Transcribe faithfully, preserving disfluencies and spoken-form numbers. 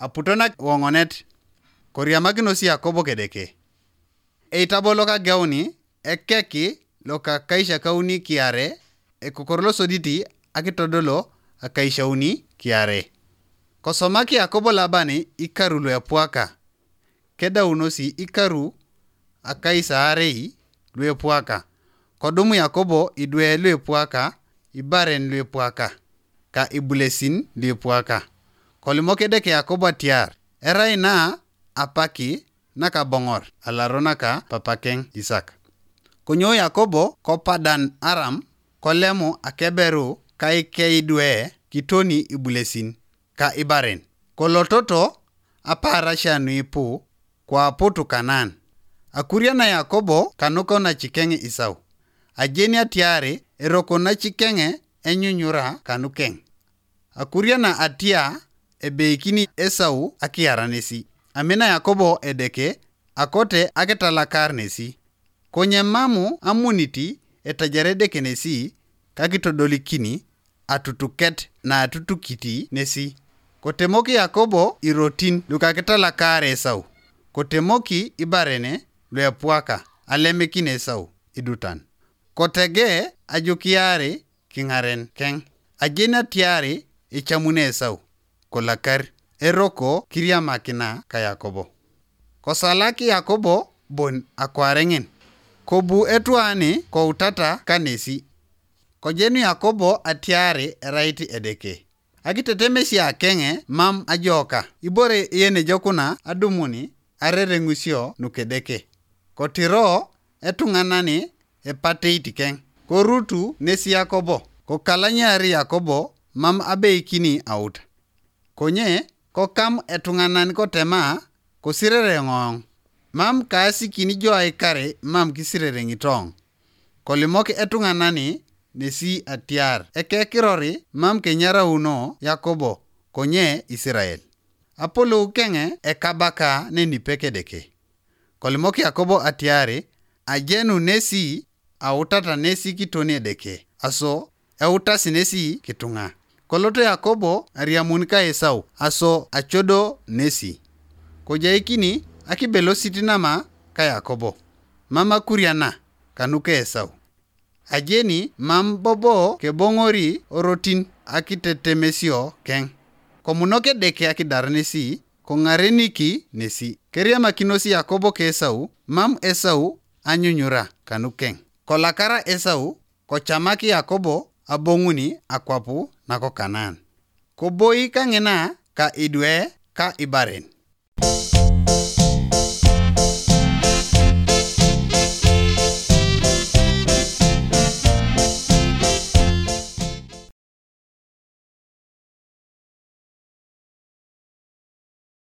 Aputonak woŋonet, koriamakinos Yakobo kedeke. Eitabo lokageuni ekeki lokakaishakauni kiare, ekokor losoditi akitodolo akaishauni kiare. Kosomak Yakobo Laban ikaru luepwaka, kedaunosi ikaru akaisaarei luepwaka. Kodum Yakobo idwe luepwaka, ibaren luepwaka, ka ibulesin luepwaka. Kolimok Edeke Yakobo atiar, erai na apaki nakaboŋor alaro naka papakeŋ Isak. Konyo Yakobo ko Padan Aram, kolemu akeberu kaikeidwe kitoni ibulesin ka ibaren. Kolototo apaarasia nuipu, koaputu Kanaan. Akuriana Yakobo kanuko nacikeŋ Isau. Ajeni atiari eroko nacikeŋ enyunyura kanukeŋ. Akuriana atia ebeikini Esau akiara nesi. Amina Yakobo Edeke, akote akitalakar nesi. Konye mamu amuniti etajare Edeke nesi, kakitodolikini atutuket naatutukiti nesi. Kotemoki Yakobo irotin lukakitalakar Esau. Kotemoki ibarene luepwaka alemikin Esau idutan. Kotege ajukiari kiŋaren keŋ. Ajeni atiari ecamuni Esau, kolakar, eroko kiriamakina ka Yakobo. Kosalak Yakobo bon akwareŋin, kobu etwani koutata kanesi. Kojenu Yakobo atiari erait Edeke. Akitetemesia keŋe mam ajoka, ibore yenejokuna adumuni arereŋusio nukedeke. Kotiro etuŋanani epateit keŋ, korutu nesi Yakobo, kokalanyari Yakobo mam abeikini aut. Konye kokam etuŋanan kotema, kosirere ŋoŋ, mam kaasikini jo aikare mam kisirere ŋitoŋ. Kolimok etuŋanani nesi atiar ekekirori mam kenyarauno Yakobo konye Isirael. Apolou keŋe ekabaka nenipe Kedeke. Kolimok Yakobo atiari ajenu nesi autata nesi kitoni Edeke, aso eutasi nesi kituŋa. Koloto Yakobo ariamun ka Esau, aso acodo nesi. Kojaikini akibelosit nama ka Yakobo, mam akuriana kanuka Esau. Ajeni mam bobo keboŋori orotin akitetemesio keŋ. Komunok Edeke akidar nesi, koŋareniki nesi. Keriamakinos Yakobo ka Esau, mam Esau anyunyura kanukeŋ. Kolakara Esau, kocamak Yakobo aboŋuni akwap nako Kanaan. Koboi kaŋina ka idwe ka ibaren.